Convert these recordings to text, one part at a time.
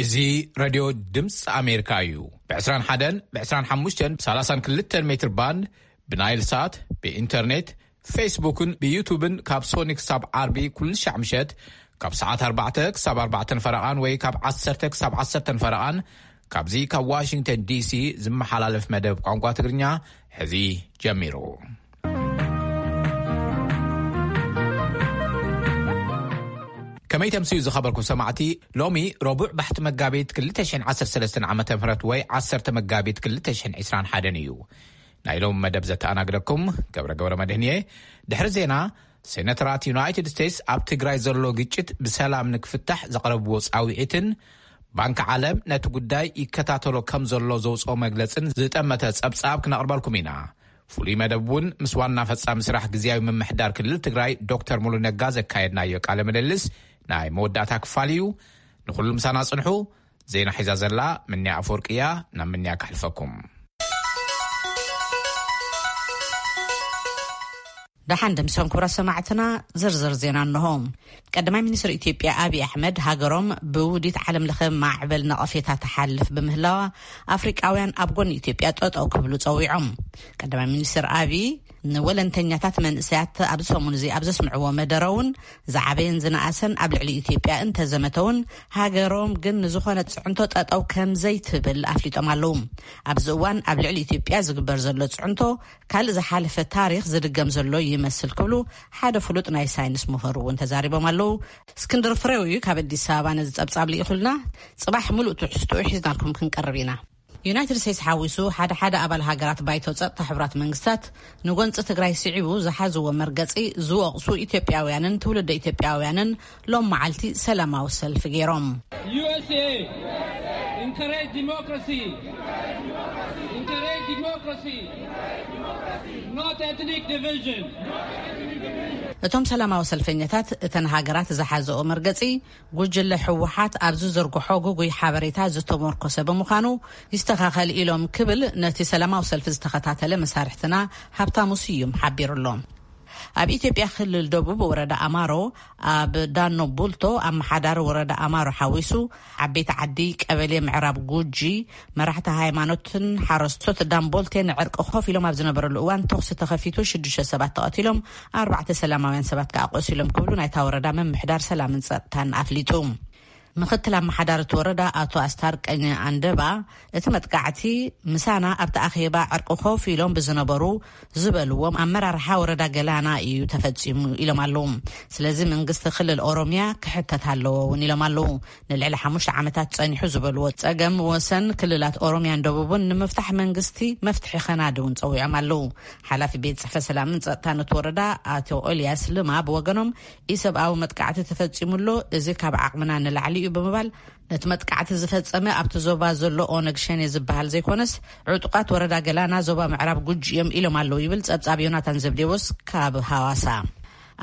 እዚ ሬድዮ ድምፂ ኣሜሪካ እዩ። ብ21፣ ብ25፣ ብ32 ሜትር ባንድ፣ ብናይል ሳት፣ ብኢንተርኔት፣ ፌስቡክን ብዩቱብን ካብ ሶኒ ክሳብ ዓርቢ ኩሉ ሻዕ ምሸት ካብ ሰዓት ኣርባዕተ ክሳብ ኣርባዕተን ፈረቓን ወይ ካብ ዓሰርተ ክሳብ ዓሰርተን ፈረቓን ካብዚ ካብ ዋሽንግተን ዲሲ ዝመሓላለፍ መደብ ቋንቋ ትግርኛ ሕዚ ጀሚሩ። ከመይ ተምስዩ ዝኸበርኩም ሰማዕቲ፣ ሎሚ ረቡዕ ባሕቲ መጋቢት ክልተ ሽሕን ዓሰርተ ሰለስተን ዓመተ ምህረት ወይ ዓሰርተ መጋቢት ክልተ ሽሕን ዕስራን ሓደን እዩ። ናይ ሎም መደብ ዘተኣናግደኩም ገብረ ገብረ መድህን እየ። ድሕሪ ዜና፣ ሴነተራት ዩናይትድ ስቴትስ ኣብ ትግራይ ዘሎ ግጭት ብሰላም ንክፍታሕ ዘቕረብዎ ጻውዒትን ባንኪ ዓለም ነቲ ጉዳይ ይከታተሎ ከም ዘሎ ዘውፅኦ መግለጽን ዝጠመተ ጸብጻብ ክነቕርበልኩም ኢና። ፍሉይ መደብ እውን ምስ ዋና ፈጻሚ ስራሕ ግዝያዊ ምምሕዳር ክልል ትግራይ ዶክተር ሙሉ ነጋ ዘካየድናዮ ቃለ ምልልስ ናይ መወዳእታ ክፋል እዩ። ንኹሉ ምሳና ጽንሑ። ዜና ሒዛ ዘላ ምንያ ኣፈወርቂ እያ። ናብ ምንያ ከሕልፈኩም። ደሓን ደምሰን ክቡራት ሰማዕትና፣ ዝርዝር ዜና እንሆ። ቀዳማይ ሚኒስትር ኢትዮጵያ ኣብይ ኣሕመድ፣ ሃገሮም ብውዲት ዓለም ለኸ ማዕበል ነቐፌታ ትሓልፍ ብምህላዋ፣ ኣፍሪቃውያን ኣብ ጎኒ ኢትዮጵያ ጠጠው ክብሉ ጸዊዖም። ቀዳማይ ሚኒስትር ኣብይ ንወለንተኛታት መንእሰያት ኣብዚ ሰሙን እዚ ኣብ ዘስምዕዎ መደረ እውን፣ ዝዓበየን ዝነኣሰን ኣብ ልዕሊ ኢትዮጵያ እንተዘመተ እውን፣ ሃገሮም ግን ንዝኾነ ጽዕንቶ ጠጠው ከም ዘይትብል ኣፍሊጦም ኣለዉ። ኣብዚ እዋን ኣብ ልዕሊ ኢትዮጵያ ዝግበር ዘሎ ጽዕንቶ ካልእ ዝሓለፈ ታሪኽ ዝድገም ዘሎ ይመስል ክብሉ ሓደ ፍሉጥ ናይ ሳይንስ ምሁር እውን ተዛሪቦም ኣለዉ። እስክንድር ፍሬው እዩ ካብ ኣዲስ ኣበባ ነዚ ጸብጻብ ልኢኹልና። ጽባሕ ምሉእ ትሕዝትኡ ሒዝናልኩም ክንቀርብ ኢና። ዩናይትድ ስቴትስ ሓዊሱ ሓደ ሓደ ኣባል ሃገራት ባይቶ ጸጥታ ሕቡራት መንግስታት ንጎንጺ ትግራይ ስዒቡ ዝሓዝዎ መርገጺ ዝወቕሱ ኢትዮጵያውያንን ትውልደ ኢትዮጵያውያንን ሎም መዓልቲ ሰላማዊ ሰልፊ ገይሮም። U S A, encourage democracy. Encourage democracy. Not ethnic division. እቶም ሰላማዊ ሰልፈኛታት እተን ሃገራት ዝሓዘኦ መርገጺ ጉጅለ ህወሓት ኣብ ዝዘርግሖ ግጉይ ሓበሬታ ዝተመርኮሰ ብምዃኑ ይስተኻኸል ኢሎም ክብል ነቲ ሰላማዊ ሰልፊ ዝተኸታተለ መሳርሕትና ሃብታሙ ስዩም ሓቢሩሎም። ኣብ ኢትዮጵያ ክልል ደቡብ ወረዳ ኣማሮ ኣብ ዳኖ ቡልቶ ኣመሓዳሪ ወረዳ ኣማሮ ሓዊሱ ዓበይቲ ዓዲ ቀበሌ ምዕራብ ጉጂ መራሕቲ ሃይማኖትን ሓረስቶት ዳምቦልቴ ንዕርቂ ኮፍ ኢሎም ኣብ ዝነበረሉ እዋን ተኹሲ ተኸፊቱ ሽዱሽተ ሰባት ተቐቲሎም ኣርባዕተ ሰላማውያን ሰባት ከኣ ቆሲሎም ክብሉ ናይታ ወረዳ ምምሕዳር ሰላምን ጸጥታን ኣፍሊጡ። ምኽትል ኣመሓዳሪ እቲ ወረዳ ኣቶ ኣስታርቀኝ ኣንደባ፣ እቲ መጥቃዕቲ ምሳና ኣብቲ ኣኼባ ዕርቂ ኮፍ ኢሎም ብዝነበሩ ዝበልዎም ኣመራርሓ ወረዳ ገላና እዩ ተፈጺሙ ኢሎም ኣለዉ። ስለዚ መንግስቲ ክልል ኦሮሚያ ክሕተት ኣለዎ እውን ኢሎም ኣለዉ። ንልዕሊ ሓሙሽተ ዓመታት ጸኒሑ ዝበልዎ ጸገም ወሰን ክልላት ኦሮሚያን ደቡብን ንምፍታሕ መንግስቲ መፍትሒ ከናዲ እውን ጸዊዖም ኣለዉ። ሓላፊ ቤት ጽሕፈት ሰላምን ጸጥታን እቲ ወረዳ ኣቶ ኤልያስ ልማ ብወገኖም፣ ኢሰብኣዊ መጥቃዕቲ ተፈጺሙ ኣሎ፣ እዚ ካብ ዓቕምና ንላዕሊ እዩ ብምባል፣ ነቲ መጥቃዕቲ ዝፈጸመ ኣብቲ ዞባ ዘሎ ኦነግ ሸኔ ዝበሃል ዘይኮነስ፣ ዕጡቓት ወረዳ ገላና ዞባ ምዕራብ ጉጂ እዮም ኢሎም ኣለዉ ይብል ጸብጻብ ዮናታን ዘብዴዎስ ካብ ሃዋሳ።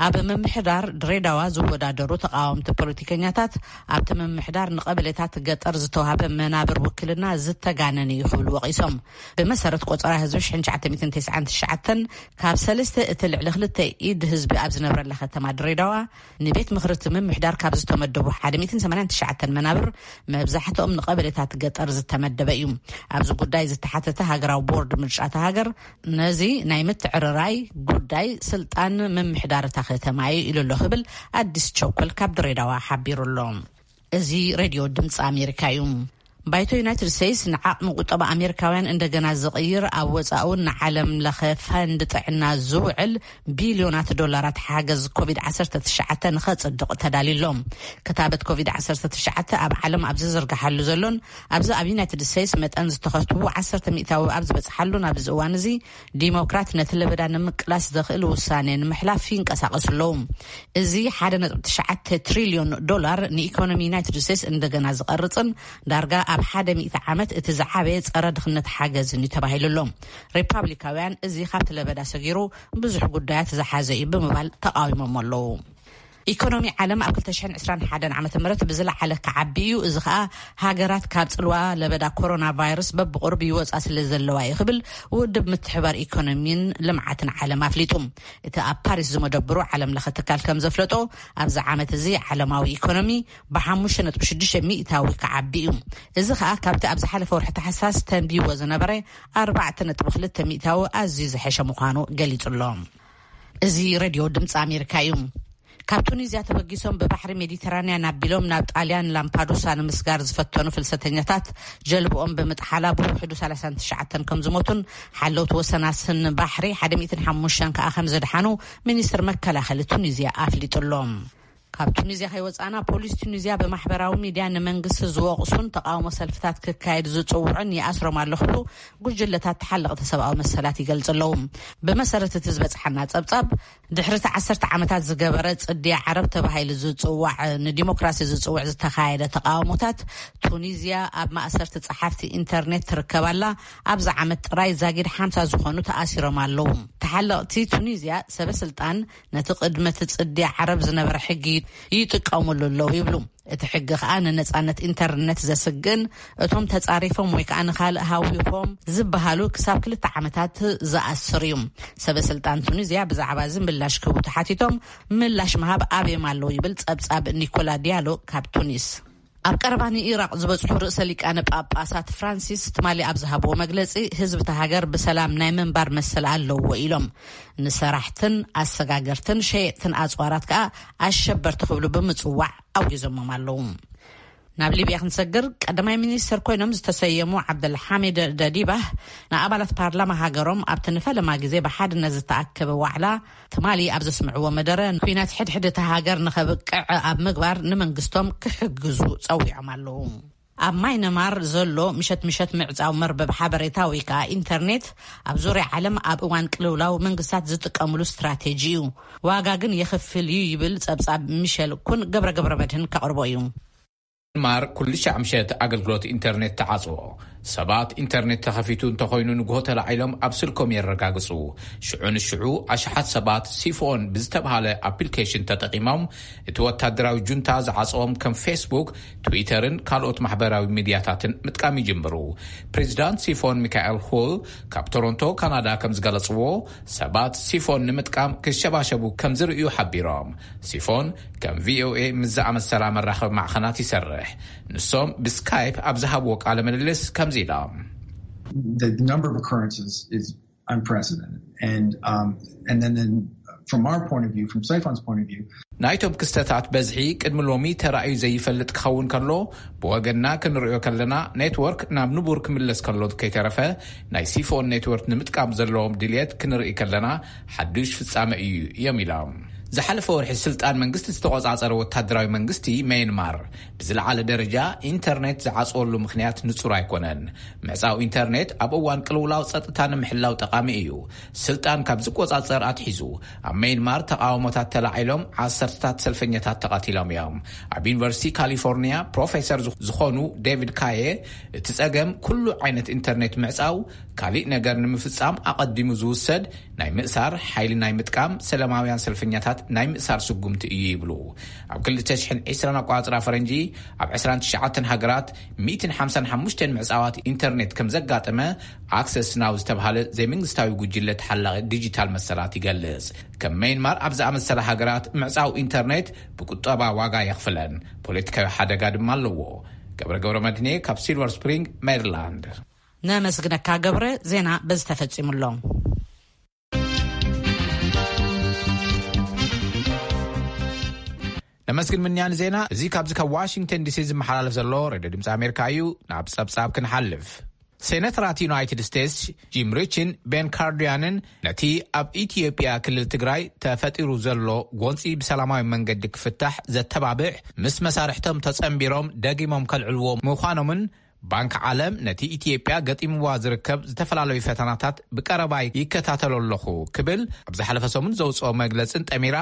ኣብ ምምሕዳር ድሬዳዋ ዝወዳደሩ ተቃወምቲ ፖለቲከኛታት፣ ኣብቲ ምምሕዳር ንቀበሌታት ገጠር ዝተዋህበ መናብር ውክልና ዝተጋነነ እዩ ክብሉ ወቒሶም። ብመሰረት ቆጸራ ህዝቢ ሽሕን ትሽዓተ ሚእትን ተስዓን ትሽዓተን፣ ካብ ሰለስተ እቲ ልዕሊ ክልተ ኢድ ህዝቢ ኣብ ዝነብረላ ከተማ ድሬዳዋ፣ ንቤት ምኽሪ እቲ ምምሕዳር ካብ ዝተመደቡ ሓደ ሚእትን ሰማንያን ትሽዓተን መናብር፣ መብዛሕትኦም ንቀበሌታት ገጠር ዝተመደበ እዩ። ኣብዚ ጉዳይ ዝተሓተተ ሃገራዊ ቦርድ ምርጫ እታ ሃገር፣ ነዚ ናይ ምትዕርራይ ጉዳይ ስልጣን ምምሕዳር እታ ከተማ እዩ ኢሉ ኣሎ ክብል ኣዲስ ቸኮል ካብ ድሬዳዋ ሓቢሩ ኣሎ። እዚ ሬድዮ ድምፂ ኣሜሪካ እዩ። ባይቶ ዩናይትድ ስቴትስ ንዓቕሚ ቁጠባ ኣሜሪካውያን እንደገና ዝቕይር፣ ኣብ ወፃኡን ንዓለም ለኸ ፈንድ ጥዕና ዝውዕል ቢልዮናት ዶላራት ሓገዝ ኮቪድ ዓሰርተ ትሽዓተ ንኸፅድቕ ተዳልዩ ኣሎ። ክታበት ኮቪድ ዓሰርተ ትሽዓተ ኣብ ዓለም ኣብ ዝዝርግሓሉ ዘሎን ኣብዚ ኣብ ዩናይትድ ስቴትስ መጠን ዝተኸትቡ ዓሰርተ ሚእታዊ ኣብ ዝበፅሓሉን ኣብዚ እዋን እዚ፣ ዲሞክራት ነቲ ለበዳ ንምቅላስ ዘኽእል ውሳኔ ንምሕላፍ ይንቀሳቐሱ ኣለዉ። እዚ ሓደ ነጥቢ ትሽዓተ ትሪልዮን ዶላር ንኢኮኖሚ ዩናይትድ ስቴትስ እንደገና ዝቐርጽን ዳርጋ ኣብ ሓደ ሚእቲ ዓመት እቲ ዝዓበየ ጸረ ድኽነት ሓገዝን እዩ ተባሂሉ ኣሎ። ሪፓብሊካውያን እዚ ካብቲ ለበዳ ሰጊሩ ብዙሕ ጉዳያት ዝሓዘ እዩ ብምባል ተቓዊሞም ኣለዉ። ኢኮኖሚ ዓለም ኣብ ክልተ ሽሕን ዕስራን ሓደን ዓመተ ምህረት ብዝለዓለ ክዓቢ እዩ። እዚ ኸኣ ሃገራት ካብ ጽልዋ ለበዳ ኮሮና ቫይረስ በብቑሩብ ይወጻ ስለ ዘለዋ እዩ ክብል ውድብ ምትሕባር ኢኮኖሚን ልምዓትን ዓለም ኣፍሊጡ። እቲ ኣብ ፓሪስ ዝመደብሩ ዓለም ለኸ ትካል ከም ዘፍለጦ፣ ኣብዚ ዓመት እዚ ዓለማዊ ኢኮኖሚ ብ ሓሙሽተ ነጥቢ ሽዱሽተ ሚእታዊ ክዓቢ እዩ። እዚ ኸኣ ካብቲ ኣብ ዝሓለፈ ወርሒ ታሕሳስ ተንቢዎ ዝነበረ ኣርባዕተ ነጥቢ ክልተ ሚእታዊ ኣዝዩ ዝሐሸ ምዃኑ ገሊጹ ኣሎ። እዚ ሬድዮ ድምፂ ኣሜሪካ እዩ። ካብ ቱኒዝያ ተበጊሶም ብባሕሪ ሜዲተራንያን ኣቢሎም ናብ ጣልያን ላምፓዱሳ ንምስጋር ዝፈተኑ ፍልሰተኛታት ጀልብኦም ብምጥሓላ ብውሕዱ ሰላሳን ትሽዓተን ከም ዝሞቱን ሓለውቲ ወሰናስን ባሕሪ ሓደ ሚእትን ሓሙሽተን ከኣ ከም ዘድሓኑ ሚኒስትር መከላኸሊ ቱኒዝያ ኣፍሊጡ ኣሎ። ካብ ቱኒዝያ ከይወፃና ፖሊስ ቱኒዝያ ብማሕበራዊ ሚድያ ንመንግስቲ ዝወቕሱን ተቃውሞ ሰልፍታት ክካየድ ዝፅውዑን ይኣስሮም ኣሎ ክብሉ ጉጅለታት ተሓለቕቲ ሰብኣዊ መሰላት ይገልፁ ኣለዉ። ብመሰረት እቲ ዝበፅሓና ፀብፃብ ድሕሪ እቲ ዓሰርተ ዓመታት ዝገበረ ጽድያ ዓረብ ተባሂሉ ዝጽዋዕ ንዲሞክራሲ ዝጽውዕ ዝተኻየደ ተቃውሞታት ቱኒዝያ ኣብ ማእሰርቲ ጸሓፍቲ ኢንተርኔት ትርከባላ ኣብዚ ዓመት ጥራይ ዛጊድ ሓምሳ ዝኾኑ ተኣሲሮም ኣለዉ። ተሓለቕቲ ቱኒዝያ ሰበ ስልጣን ነቲ ቅድመ እቲ ጽድያ ዓረብ ዝነበረ ሕጊ ይጥቀሙሉ ኣለዉ ይብሉ። እቲ ሕጊ ከኣ ንነጻነት ኢንተርነት ዘስግን እቶም ተጻሪፎም ወይ ከኣ ንኻልእ ሃዊኾም ዝበሃሉ ክሳብ ክልተ ዓመታት ዝኣስር እዩ። ሰበ ስልጣን ቱኒዝያ ብዛዕባ እዚ ምላሽ ክህቡ ተሓቲቶም ምላሽ ምሃብ ኣብዮም ኣለዉ ይብል ጸብጻብ ኒኮላ ዲያሎ ካብ ቱኒስ። ኣብ ቀረባ ንኢራቕ ዝበጽሑ ርእሰ ሊቃነ ጳጳሳት ፍራንሲስ ትማሊ ኣብ ዝሃብዎ መግለጺ ህዝቢ እታ ሃገር ብሰላም ናይ ምንባር መሰል ኣለዎ ኢሎም ንሰራሕትን ኣሰጋገርትን ሸየጥትን ኣጽዋራት ከኣ ኣሸበርቲ ክብሉ ብምጽዋዕ ኣውጊዞሞም ኣለዉ። ናብ ሊብያ ክንሰግር ቀዳማይ ሚኒስትር ኮይኖም ዝተሰየሙ ዓብደልሓሚድ ደዲባህ ንኣባላት ፓርላማ ሃገሮም ኣብቲ ንፈለማ ግዜ ብሓድነት ዝተኣከበ ዋዕላ ትማሊ ኣብ ዘስምዕዎ መደረ ኩናት ሕድሕድ እታ ሃገር ንኸብቅዕ ኣብ ምግባር ንመንግስቶም ክሕግዙ ጸዊዖም ኣለዉ። ኣብ ማይነማር ዘሎ ምሸት ምሸት ምዕጻው መርበብ ሓበሬታ ወይ ከዓ ኢንተርኔት ኣብ ዙርያ ዓለም ኣብ እዋን ቅልውላው መንግስታት ዝጥቀምሉ ስትራቴጂ እዩ። ዋጋ ግን የኽፍል እዩ ይብል ጸብጻብ ሚሸል ኩን ገብረ ገብረ መድህን ከቕርቦ እዩ። ማር ኩሉ ሻዕ ምሸት ኣገልግሎት ኢንተርኔት ተዓጽዎ። ሰባት ኢንተርኔት ተኸፊቱ እንተኾይኑ ንግሆ ተላዒሎም ኣብ ስልኮም የረጋግጹ። ሽዑ ንሽዑ ኣሽሓት ሰባት ሲፎን ብዝተብሃለ ኣፕሊኬሽን ተጠቒሞም እቲ ወታደራዊ ጁንታ ዝዓጽዎም ከም ፌስቡክ፣ ትዊተርን ካልኦት ማሕበራዊ ሚድያታትን ምጥቃም ይጅምሩ። ፕሬዚዳንት ሲፎን ሚካኤል ሁል ካብ ቶሮንቶ ካናዳ ከም ዝገለጽዎ ሰባት ሲፎን ንምጥቃም ክሸባሸቡ ከም ዝርእዩ ሓቢሮም። ሲፎን ከም ቪኦኤ ምስ ዝኣመሰላ መራኸቢ ማዕኸናት ይሰርሕ። ንሶም ብስካይፕ ኣብ ዝሃብዎ ቃለ ምልልስ ከምዚ ኢሎም። The, the number of occurrences is unprecedented. And, um, and then, then from our point of view, from Saifon's point of view, ናይቶም ክስተታት በዝሒ ቅድሚ ሎሚ ተራእዩ ዘይፈልጥ ክኸውን ከሎ፣ ብወገንና ክንርእዮ ከለና ኔትወርክ ናብ ንቡር ክምለስ ከሎ ከይተረፈ ናይ ሲፎን ኔትወርክ ንምጥቃም ዘለዎም ድልየት ክንርኢ ከለና ሓዱሽ ፍጻመ እዩ እዮም ኢሎም። ዝሓለፈ ወርሒ ስልጣን መንግስቲ ዝተቆጻጸረ ወታደራዊ መንግስቲ መየንማር ብዝለዓለ ደረጃ ኢንተርኔት ዝዓጽወሉ ምኽንያት ንጹር ኣይኮነን። ምዕጻው ኢንተርኔት ኣብ እዋን ቅልውላው ጸጥታ ንምሕላው ጠቓሚ እዩ። ስልጣን ካብ ዝቆጻጸር ኣትሒዙ ኣብ መየንማር ተቓውሞታት ተላዒሎም ዓሰርተታት ሰልፈኛታት ተቐቲሎም እዮም። ኣብ ዩኒቨርሲቲ ካሊፎርኒያ ፕሮፌሰር ዝኾኑ ዴቪድ ካየ እቲ ጸገም ኩሉ ዓይነት ኢንተርኔት ምዕጻው ካሊእ ነገር ንምፍጻም ኣቐዲሙ ዝውሰድ ናይ ምእሳር፣ ሓይሊ ናይ ምጥቃም፣ ሰለማውያን ሰልፈኛታት ናይ ምእሳር ስጉምቲ እዩ ይብሉ። ኣብ ክልተ ሽሕን ዕስራን ኣቋጽራ ፈረንጂ ኣብ ዕስራን ትሽዓተን ሃገራት ሚእትን ሓምሳን ሓሙሽተን ምዕጻዋት ኢንተርኔት ከም ዘጋጠመ ኣክሰስ ናው ዝተብሃለ ዘይመንግስታዊ ጉጅለ ተሓላቒ ዲጂታል መሰላት ይገልጽ። ከም መይንማር ኣብ ዝኣመሰለ ሃገራት ምዕጻው ኢንተርኔት ብቁጠባ ዋጋ የኽፍለን፣ ፖለቲካዊ ሓደጋ ድማ ኣለዎ። ገብረ ገብረ መድኔ ካብ ሲልቨር ስፕሪንግ ሜሪላንድ። ነመስግነካ ገብረ። ዜና በዚ ተፈጺሙ ኣሎ። ነመስግን ምንያን ዜና። እዚ ካብዚ ካብ ዋሽንግተን ዲሲ ዝመሓላለፍ ዘሎ ሬድዮ ድምፂ ኣሜሪካ እዩ። ናብ ጸብጻብ ክንሓልፍ፣ ሴነተራት ዩናይትድ ስቴትስ ጂም ሪችን ቤን ካርዲያንን ነቲ ኣብ ኢትዮጵያ ክልል ትግራይ ተፈጢሩ ዘሎ ጎንፂ ብሰላማዊ መንገዲ ክፍታሕ ዘተባብዕ ምስ መሳርሕቶም ተጸንቢሮም ደጊሞም ከልዕልዎ ምዃኖምን ባንክ ዓለም ነቲ ኢትዮጵያ ገጢምዋ ዝርከብ ዝተፈላለዩ ፈተናታት ብቀረባ ይከታተሎ ኣለኹ ክብል ኣብ ዝሓለፈ ሰሙን ዘውፅኦ መግለፅን ጠሚራ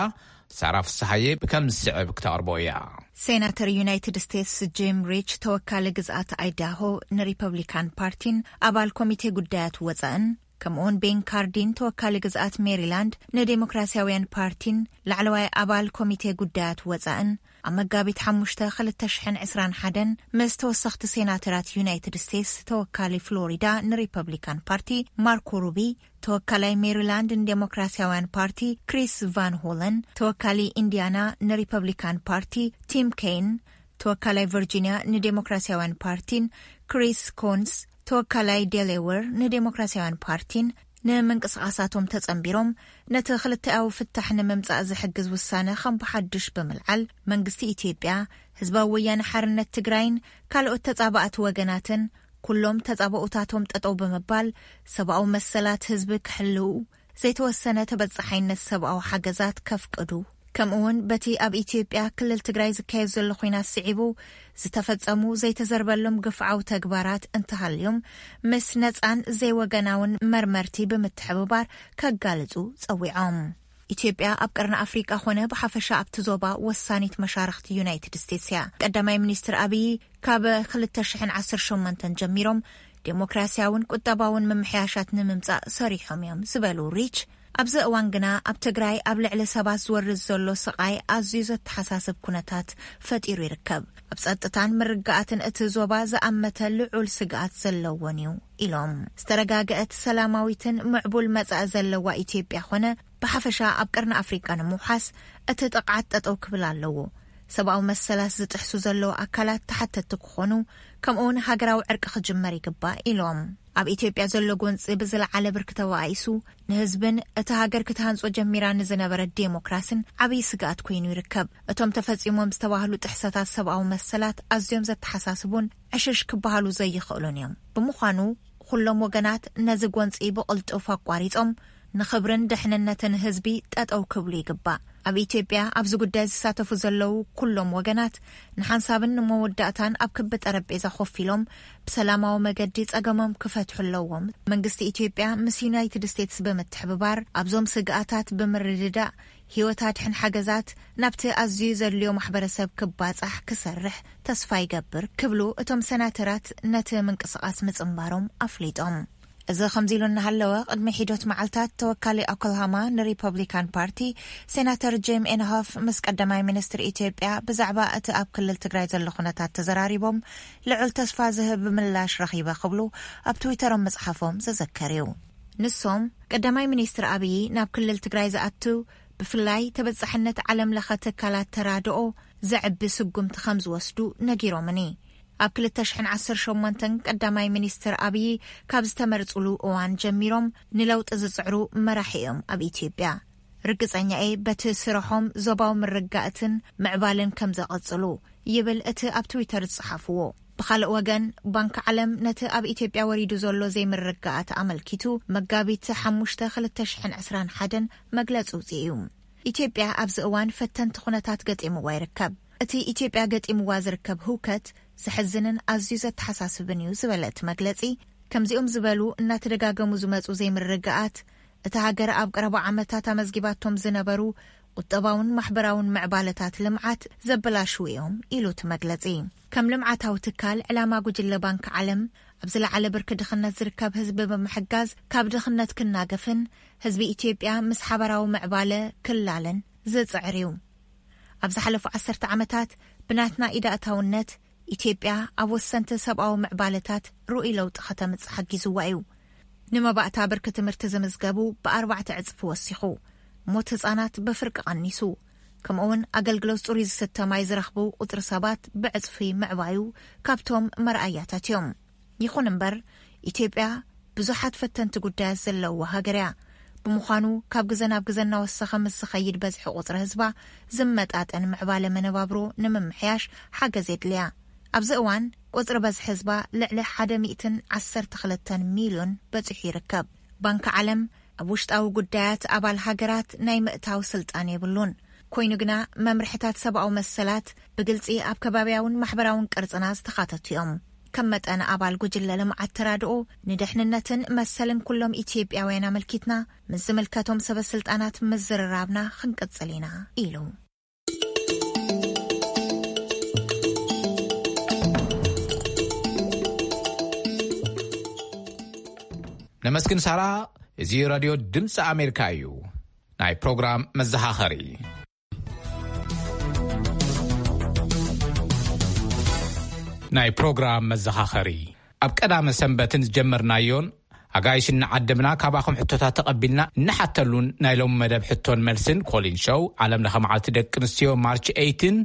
ሳራ ፍስሃየ ከም ዝስዕብ ክተቕርቦ እያ። ሴናተር ዩናይትድ ስቴትስ ጂም ሪች ተወካሊ ግዝኣት ኣይዳሆ ንሪፐብሊካን ፓርቲን ኣባል ኮሚቴ ጉዳያት ወፃእን ከምኡውን ቤን ካርዲን፣ ተወካሊ ግዝኣት ሜሪላንድ ንዴሞክራሲያውያን ፓርቲን ላዕለዋይ ኣባል ኮሚቴ ጉዳያት ወጻእን፣ ኣብ መጋቢት ሓሙሽተ ክልተ ሽሕን ዕስራን ሓደን ምስ ተወሰኽቲ ሴናተራት ዩናይትድ ስቴትስ፣ ተወካሊ ፍሎሪዳ ንሪፐብሊካን ፓርቲ ማርኮ ሩቢ፣ ተወካላይ ሜሪላንድ ንዴሞክራሲያውያን ፓርቲ ክሪስ ቫን ሆለን፣ ተወካሊ ኢንዲያና ንሪፐብሊካን ፓርቲ ቲም ኬን፣ ተወካላይ ቨርጂኒያ ንዴሞክራሲያውያን ፓርቲን ክሪስ ኮንስ፣ ተወካላይ ዴሌወር ንዴሞክራሲያውያን ፓርቲን፣ ንምንቅስቓሳቶም ተጸንቢሮም፣ ነቲ ክልተኣዊ ፍታሕ ንምምጻእ ዝሕግዝ ውሳነ ከም ብሓድሽ ብምልዓል፣ መንግስቲ ኢትዮጵያ፣ ህዝባዊ ወያነ ሓርነት ትግራይን ካልኦት ተጻባእቲ ወገናትን፣ ኩሎም ተጻባኡታቶም ጠጠው ብምባል፣ ሰብኣዊ መሰላት ህዝቢ ክሕልው፣ ዘይተወሰነ ተበጻሓይነት ሰብኣዊ ሓገዛት ከፍቅዱ፣ ከምኡ እውን በቲ ኣብ ኢትዮጵያ ክልል ትግራይ ዝካየድ ዘሎ ኲናት ስዒቡ ዝተፈጸሙ ዘይተዘርበሎም ግፍዓዊ ተግባራት እንተሃልዮም፣ ምስ ነጻን ዘይወገናውን መርመርቲ ብምትሕብባር ከጋልጹ ጸዊዖም። ኢትዮጵያ ኣብ ቀርኒ ኣፍሪቃ ኾነ ብሓፈሻ ኣብቲ ዞባ ወሳኒት መሻርኽቲ ዩናይትድ ስቴትስ እያ። ቀዳማይ ሚኒስትር ኣብይ ካብ ክልተ ሽሕን ዓሰርተ ሸሞንተን ጀሚሮም ዴሞክራሲያውን ቁጠባውን ምምሕያሻት ንምምጻእ ሰሪሖም እዮም ዝበሉ ሪች፣ ኣብዚ እዋን ግና ኣብ ትግራይ ኣብ ልዕሊ ሰባት ዝወርድ ዘሎ ስቓይ ኣዝዩ ዘተሓሳስብ ኩነታት ፈጢሩ ይርከብ። ኣብ ጸጥታን ምርግጋኣትን እቲ ዞባ ዝኣመተ ልዑል ስግኣት ዘለዎን እዩ ኢሎም። ዝተረጋገአት፣ ሰላማዊትን ምዕቡል መጻኢ ዘለዋ ኢትዮጵያ ኾነ ብሓፈሻ ኣብ ቀርኒ ኣፍሪቃ ንምውሓስ እቲ ጥቕዓት ጠጠው ክብል ኣለዎ። ሰብኣዊ መሰላት ዝጥሕሱ ዘለዉ ኣካላት ተሓተትቲ ክኾኑ፣ ከምኡውን ሃገራዊ ዕርቂ ክጅመር ይግባእ ኢሎም። ኣብ ኢትዮጵያ ዘሎ ጎንጺ ብዝለዓለ ብርኪ ተባኢሱ፣ ንህዝብን እቲ ሃገር ክትሃንጾ ጀሚራ ንዝነበረት ዴሞክራስን ዓብዪ ስግኣት ኮይኑ ይርከብ። እቶም ተፈጺሞም ዝተባህሉ ጥሕሰታት ሰብኣዊ መሰላት ኣዝዮም ዘተሓሳስቡን ዕሽሽ ክበሃሉ ዘይኽእሉን እዮም። ብምዃኑ፣ ኩሎም ወገናት ነዚ ጎንጺ ብቕልጡፍ ኣቋሪጾም፣ ንኽብርን ድሕንነትን ህዝቢ ጠጠው ክብሉ ይግባእ። ኣብ ኢትዮጵያ ኣብዚ ጉዳይ ዝሳተፉ ዘለዉ ኩሎም ወገናት፣ ንሓንሳብን ንመወዳእታን ኣብ ክቢ ጠረጴዛ ኮፍ ኢሎም ብሰላማዊ መገዲ ጸገሞም ክፈትሑ ኣለዎም። መንግስቲ ኢትዮጵያ ምስ ዩናይትድ ስቴትስ ብምትሕብባር፣ ኣብዞም ስግኣታት ብምርድዳእ፣ ህይወት ኣድሕን ሓገዛት ናብቲ ኣዝዩ ዘድልዮ ማሕበረሰብ ክባጻሕ ክሰርሕ ተስፋ ይገብር ክብሉ እቶም ሰናተራት ነቲ ምንቅስቓስ ምጽንባሮም ኣፍሊጦም። እዚ ከምዚ ኢሉ እናሃለወ፣ ቅድሚ ሒዶት መዓልታት ተወካሊ ኦክላሃማ ንሪፐብሊካን ፓርቲ ሴናተር ጄም ኤንሆፍ ምስ ቀዳማይ ሚኒስትር ኢትዮጵያ ብዛዕባ እቲ ኣብ ክልል ትግራይ ዘሎ ኩነታት ተዘራሪቦም፣ ልዑል ተስፋ ዝህብ ምላሽ ረኺበ ክብሉ ኣብ ትዊተሮም ምጽሓፎም ዝዝከር እዩ። ንሶም፣ ቀዳማይ ሚኒስትር ኣብዪ ናብ ክልል ትግራይ ዝኣቱ፣ ብፍላይ ተበጻሕነት ዓለም ለኸ ትካላት ተራድኦ ዘዕቢ ስጉምቲ ከም ዝወስዱ ነጊሮምኒ። ኣብ ክልተ ሽሕን ዓሰርተ ሸሞንተን ቀዳማይ ሚኒስትር ኣብዪ ካብ ዝተመርጽሉ እዋን ጀሚሮም ንለውጢ ዝጽዕሩ መራሒ እዮም ኣብ ኢትዮጵያ። ርግጸኛ እየ በቲ ስርሖም ዞባዊ ምርግጋእትን ምዕባለን ከም ዘቐጽሉ፣ ይብል እቲ ኣብ ትዊተር ዝጸሓፍዎ። ብኻልእ ወገን፣ ባንክ ዓለም ነቲ ኣብ ኢትዮጵያ ወሪዱ ዘሎ ዘይምርግጋኣት ኣመልኪቱ መጋቢት ሓሙሽተ ክልተ ሽሕን ዕስራን ሓደን መግለጺ ኣውጺኡ እዩ። ኢትዮጵያ ኣብዚ እዋን ፈተንቲ ኩነታት ገጢምዋ ይርከብ። እቲ ኢትዮጵያ ገጢምዋ ዝርከብ ህውከት ዘሕዝንን ኣዝዩ ዘተሓሳስብን እዩ ዝበለ እቲ መግለጺ፣ ከምዚኦም ዝበሉ እናተደጋገሙ ዝመጹ ዘይምርግጋኣት፣ እታ ሃገር ኣብ ቀረባ ዓመታት ኣመዝጊባቶም ዝነበሩ ቁጠባውን ማሕበራውን ምዕባለታት ልምዓት ዘበላሽዉ እዮም ኢሉ እቲ መግለጺ። ከም ልምዓታዊ ትካል፣ ዕላማ ጉጅለ ባንክ ዓለም ኣብ ዝለዓለ ብርኪ ድኽነት ዝርከብ ህዝቢ ብምሕጋዝ ካብ ድኽነት ክናገፍን ህዝቢ ኢትዮጵያ ምስ ሓበራዊ ምዕባለ ክላለን ዝጽዕር እዩ። ኣብ ዝሓለፉ ዓሰርተ ዓመታት ብናትና ኢድ ኣእታውነት ኢትዮጵያ ኣብ ወሰንቲ ሰብኣዊ ምዕባለታት ርኡይ ለውጢ ከተምጽእ ሓጊዝዋ እዩ። ንመባእታ ብርኪ ትምህርቲ ዝምዝገቡ ብኣርባዕተ ዕጽፊ ወሲኹ፣ ሞት ህጻናት ብፍርቂ ቀኒሱ፣ ከምኡውን ኣገልግሎት ጽሩይ ዝስተ ማይ ዝረኽቡ ቁጽሪ ሰባት ብዕጽፊ ምዕባዩ ካብቶም መርኣያታት እዮም። ይኹን እምበር፣ ኢትዮጵያ ብዙሓት ፈተንቲ ጉዳያት ዘለውዋ ሃገር እያ። ብምዃኑ፣ ካብ ግዘ ናብ ግዘ እናወሰኸ ምስ ዝኸይድ በዝሒ ቁጽሪ ህዝባ፣ ዝመጣጠን ምዕባለ መነባብሮ ንምምሕያሽ ሓገዝ የድልያ። ኣብዚ እዋን፣ ቁጽሪ በዝሒ ህዝባ ልዕሊ ሓደ ሚእትን ዓሰርተ ክልተን ሚልዮን በጺሑ ይርከብ። ባንክ ዓለም፣ ኣብ ውሽጣዊ ጉዳያት ኣባል ሃገራት ናይ ምእታው ስልጣን የብሉን። ኮይኑ ግና፣ መምርሕታት ሰብኣዊ መሰላት ብግልጺ ኣብ ከባብያውን ማሕበራውን ቅርጽና ዝተኻተቱ እዮም። ከም መጠን ኣባል ጉጅለ ልምዓት ተራድኦ፣ ንድሕንነትን መሰልን ኩሎም ኢትዮጵያውያን ኣመልኪትና፣ ምስ ዝምልከቶም ሰበ ስልጣናት ምዝርራብና ክንቅጽል ኢና፣ ኢሉ። ነመስግን ሳራ። እዚ ራድዮ ድምፂ ኣሜሪካ እዩ። ናይ ፕሮግራም መዘኻኸሪ። ናይ ፕሮግራም መዘኻኸሪ። ኣብ ቀዳመ ሰንበትን ዝጀመርናዮን ኣጋይሽ እናዓደምና ካባኹም ሕቶታት ተቐቢልና እንሓተሉን ናይ ሎሚ መደብ ሕቶን መልስን ኮሊን ሾው ዓለም ለኸ መዓልቲ ደቂ ኣንስትዮ ማርች ኤይትን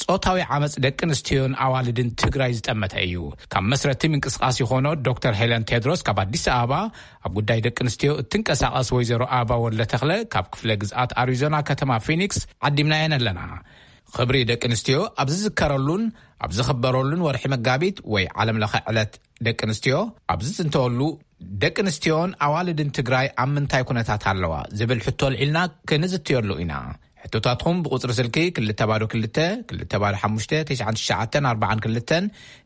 ጾታዊ ዓመፅ ደቂ ኣንስትዮን ኣዋልድን ትግራይ ዝጠመተ እዩ። ካብ መስረቲ ምንቅስቃስ ዝኾኖ ዶክተር ሄለን ቴድሮስ ካብ ኣዲስ ኣበባ ኣብ ጉዳይ ደቂ ኣንስትዮ እትንቀሳቐስ ወይዘሮ ኣበባ ወልደ ተኽለ ካብ ክፍለ ግዝኣት ኣሪዞና ከተማ ፊኒክስ ዓዲምናየን ኣለና። ክብሪ ደቂ ኣንስትዮ ኣብ ዝዝከረሉን ኣብ ዝኽበረሉን ወርሒ መጋቢት ወይ ዓለም ለኸ ዕለት ደቂ ኣንስትዮ ኣብ ዝጽንተወሉ፣ ደቂ ኣንስትዮን ኣዋልድን ትግራይ ኣብ ምንታይ ኩነታት ኣለዋ ዝብል ሕቶ ኣልዒልና ክንዝትየሉ ኢና። ሕቶታትኩም ብቁጽሪ ስልኪ ክልተ ባዶ ክልተ፣ ክልተ ባዶ ሓሙሽተ፣ ትሽዓን ትሽዓተን ኣርባዓን ክልተን፣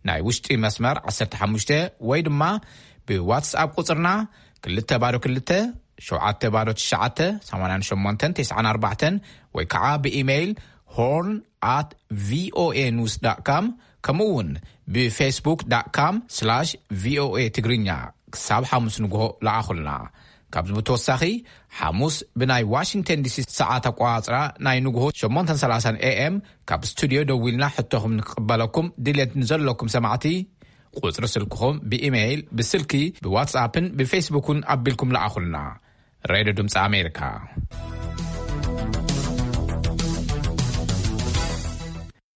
ናይ ውሽጢ መስመር ዓሰርተ ሓሙሽተ ወይ ድማ ብዋትስኣፕ ቁጽርና ክልተ ባዶ ክልተ፣ ሸውዓተ ባዶ ትሽዓተ፣ ሰማንያን ሸሞንተን፣ ተስዓን ኣርባዕተን ወይ ከዓ ብኢሜይል ሆርን ኣት ቪኦኤ ኒውስ ዳት ካም ከምኡ እውን ብፌስቡክ ዳት ካም ስላሽ ቪኦኤ ትግርኛ ክሳብ ሓሙስ ንግሆ ለኣኹልና። ካብዚ ብተወሳኺ ሓሙስ ብናይ ዋሽንግተን ዲሲ ሰዓት ኣቋጽራ ናይ ንግሆ ሸሞንተን ሰላሳን ኤ ኤም ካብ ስቱድዮ ደዊልና ሕቶኹም ንክቕበለኩም ድልየት ንዘለኩም ሰማዕቲ ቁጽሪ ስልክኹም ብኢሜይል፣ ብስልኪ፣ ብዋትስኣፕን ብፌስቡክን ኣቢልኩም ለኣኹልና። ሬድዮ ድምፂ ኣሜሪካ።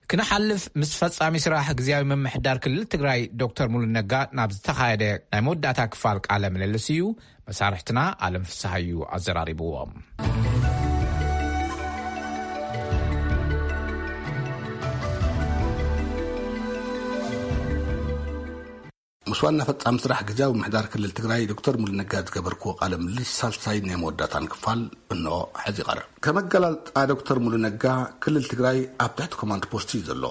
ክንሓልፍ ምስ ፈጻሚ ስራሕ ግዝያዊ ምምሕዳር ክልል ትግራይ ዶክተር ሙሉ ነጋ ናብ ዝተኻየደ ናይ መወዳእታ ክፋል ቃለ ምልልስ እዩ። መሳርሕትና ኣለም ፍስሃዩ ኣዘራሪብዎም። ምስ ዋና ፈጻሚ ስራሕ ግዝያዊ ምምሕዳር ክልል ትግራይ ዶክተር ሙሉ ነጋ ዝገበርክዎ ቃለ ምልልስ ሳልሳይ ናይ መወዳእታን ክፋል እንሆ ሕዚ ይቐርብ። ከመገላልጣ ዶክተር ሙሉ ነጋ ክልል ትግራይ ኣብ ትሕቲ ኮማንድ ፖስት እዩ ዘሎ።